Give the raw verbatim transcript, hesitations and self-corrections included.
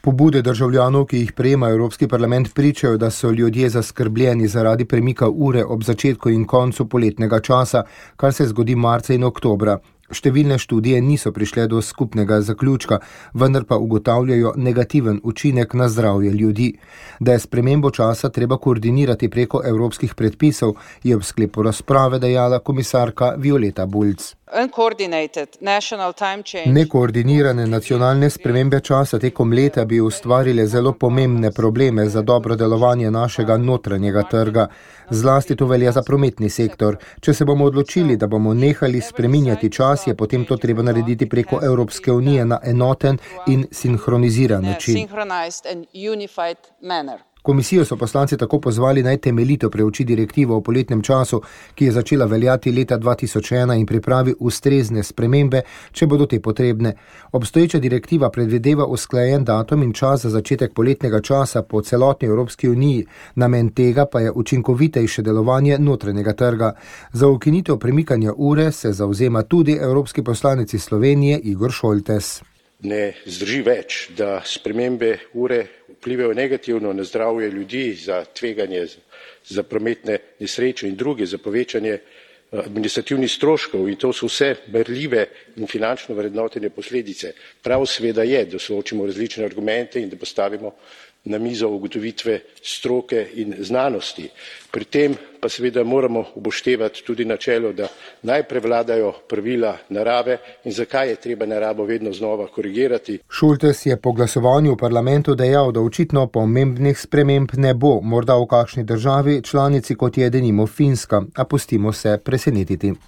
Pobude državljanov, ki jih prejema Evropski parlament, pričajo, da so ljudje zaskrbljeni zaradi premika ure ob začetku in koncu poletnega časa, kar se zgodi marca in oktobra. Številne študije niso prišle do skupnega zaključka, vendar pa ugotavljajo negativen učinek na zdravje ljudi. Da je spremembo časa treba koordinirati preko evropskih predpisov, je ob sklepu razprave dejala komisarka Violeta Bulc. Nekoordinirane nacionalne spremembe časa tekom leta bi ustvarile zelo pomembne probleme za dobro delovanje našega notranjega trga. Zlasti to velja za prometni sektor. Če se bomo odločili, da bomo nehali spreminjati čas, je potem to treba narediti preko Evropske unije na enoten in sinhroniziran način. Komisijo so poslanci tako pozvali naj temeljito preuči direktivo o poletnem času, ki je začela veljati leta dva tisoč ena in pripravi ustrezne spremembe, če bodo te potrebne. Obstoječa direktiva predvideva usklajen datum in čas za začetek poletnega časa po celotni Evropski uniji, namen tega pa je učinkovitejše delovanje notranjega trga. Za ukinitev premikanja ure se zavzema tudi evropski poslanec iz Slovenije Igor Šoltes. Ne zdrži več, da spremembe ure vplivajo negativno na zdravje ljudi, za tveganje, za prometne nesreče in druge, za povečanje administrativnih stroškov, in to so vse berljive in finančno vrednotene posledice. Prav seveda je, da soočimo različne argumente in da postavimo na mizo ugotovitve stroke in znanosti. Pri tem pa seveda moramo upoštevati tudi načelo, da naj prevladajo pravila narave in zakaj je treba naravo vedno znova korigirati. Šoltes je po glasovanju v parlamentu dejal, da očitno pomembnih sprememb ne bo, morda v kakšni državi članici, kot je denimo Finska, a pustimo se presenetiti.